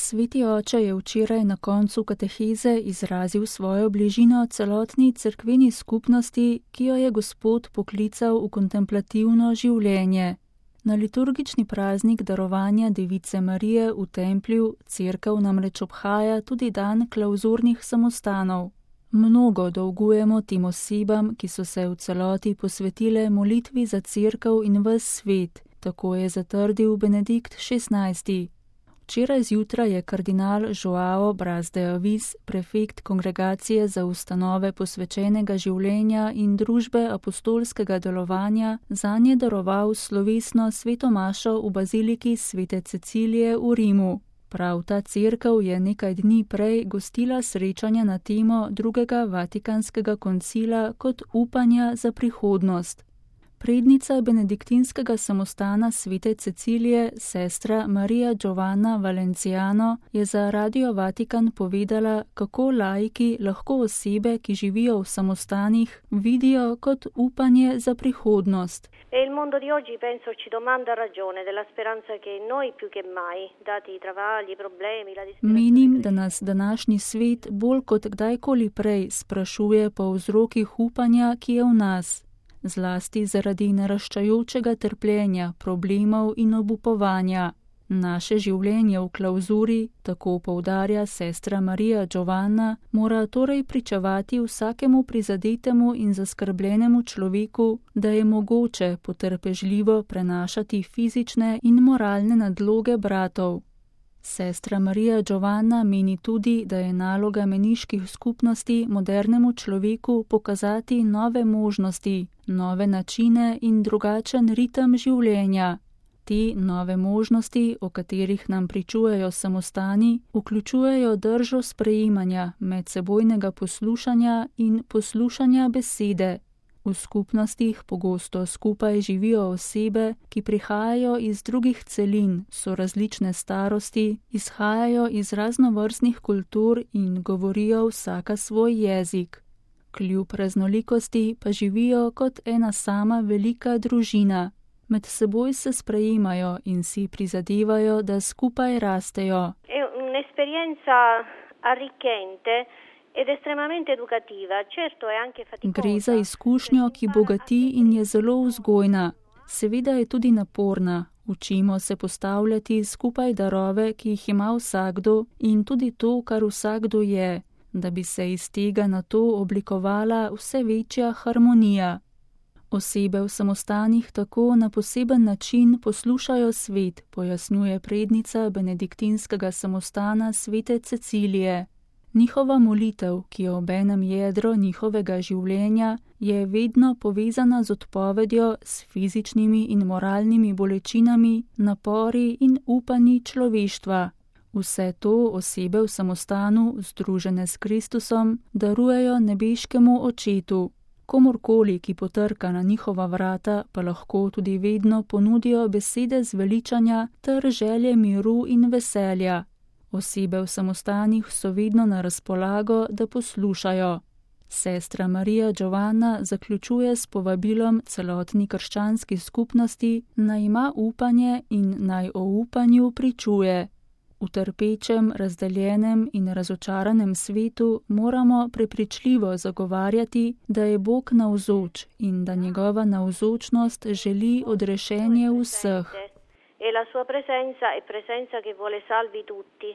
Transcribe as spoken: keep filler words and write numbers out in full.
Sveti oče je včeraj na koncu kateheze izrazil svojo bližino celotni cerkveni skupnosti, ki jo je Gospod poklical v kontemplativno življenje. Na liturgični praznik darovanja Device Marije v templju cerkev namreč obhaja tudi dan klavzurnih samostanov. Mnogo dolgujemo tem osebam, ki so se v celoti posvetile molitvi za cerkev in ves svet, tako je zatrdil Benedikt šestnajsti. Včeraj zjutraj je kardinal Joao Braz de Avis, prefekt Kongregacije za ustanove posvečenega življenja in družbe apostolskega delovanja, zanje daroval slovesno sveto mašo v baziliki svete Cecilije v Rimu. Prav ta cerkev je nekaj dni prej gostila srečanja na temo drugega vatikanskega koncila kot upanja za prihodnost. Prednica benediktinskega samostana svete Cecilije, sestra Marija Giovanna Valenciano, je za Radio Vatikan povedala, kako laiki lahko osebe, ki živijo v samostanih, vidijo kot upanje za prihodnost. E il mondo di oggi penso ci domanda ragione della speranza che noi più che mai, dati i travagli, i problemi, la disperazione. Menim, da nas današnji svet bolj kot kdajkoli prej sprašuje po vzrokih upanja, ki je v nas. Zlasti zaradi naraščajočega trpljenja, problemov in obupovanja. Naše življenje v klauzuri, tako poudarja sestra Marija Giovanna, mora torej pričevati vsakemu prizadetemu in zaskrbljenemu človeku, da je mogoče potrpežljivo prenašati fizične in moralne nadloge bratov. Sestra Marija Giovanna meni tudi, da je naloga meniških skupnosti modernemu človeku pokazati nove možnosti, nove načine in drugačen ritem življenja. Te nove možnosti, o katerih nam pričujejo samostani, vključujejo držo sprejemanja, medsebojnega poslušanja in poslušanja besede. V skupnostih pogosto skupaj živijo osebe, ki prihajajo iz drugih celin, so različne starosti, izhajajo iz raznovrstnih kultur in govorijo vsaka svoj jezik. Kljub raznolikosti pa živijo kot ena sama velika družina. Med seboj se sprejemajo in si prizadevajo, da skupaj rastejo. È un'esperienza arricchente ed estremamente educativa. Certo è anche faticosa. Gre za izkušnjo, ki bogati in je zelo vzgojna. Seveda je tudi naporna. Učimo se postavljati skupaj darove, ki jih ima vsakdo, in tudi to, kar vsakdo je, da bi se iz tega nato oblikovala vse večja harmonija. Osebe v samostanih tako na poseben način poslušajo svet, pojasnjuje prednica benediktinskega samostana svete Cecilije. Njihova molitev, ki je obenem jedro njihovega življenja, je vedno povezana z odpovedjo, s fizičnimi in moralnimi bolečinami, napori in upanji človeštva. Vse to osebe v samostanu, združene s Kristusom, darujejo nebeškemu Očetu. Komorkoli, ki potrka na njihova vrata, pa lahko tudi vedno ponudijo besede zveličanja ter želje miru in veselja. Osebe v samostanih so vedno na razpolago, da poslušajo. Sestra Marija Giovanna zaključuje s povabilom celotni krščanski skupnosti, naj ima upanje in naj o upanju pričuje. V trpečem, razdeljenem in razočaranem svetu moramo prepričljivo zagovarjati, da je Bog navzoč in da njegova navzočnost želi odrešenje vseh. E la sua presenza è presenza che vuole salvi tutti.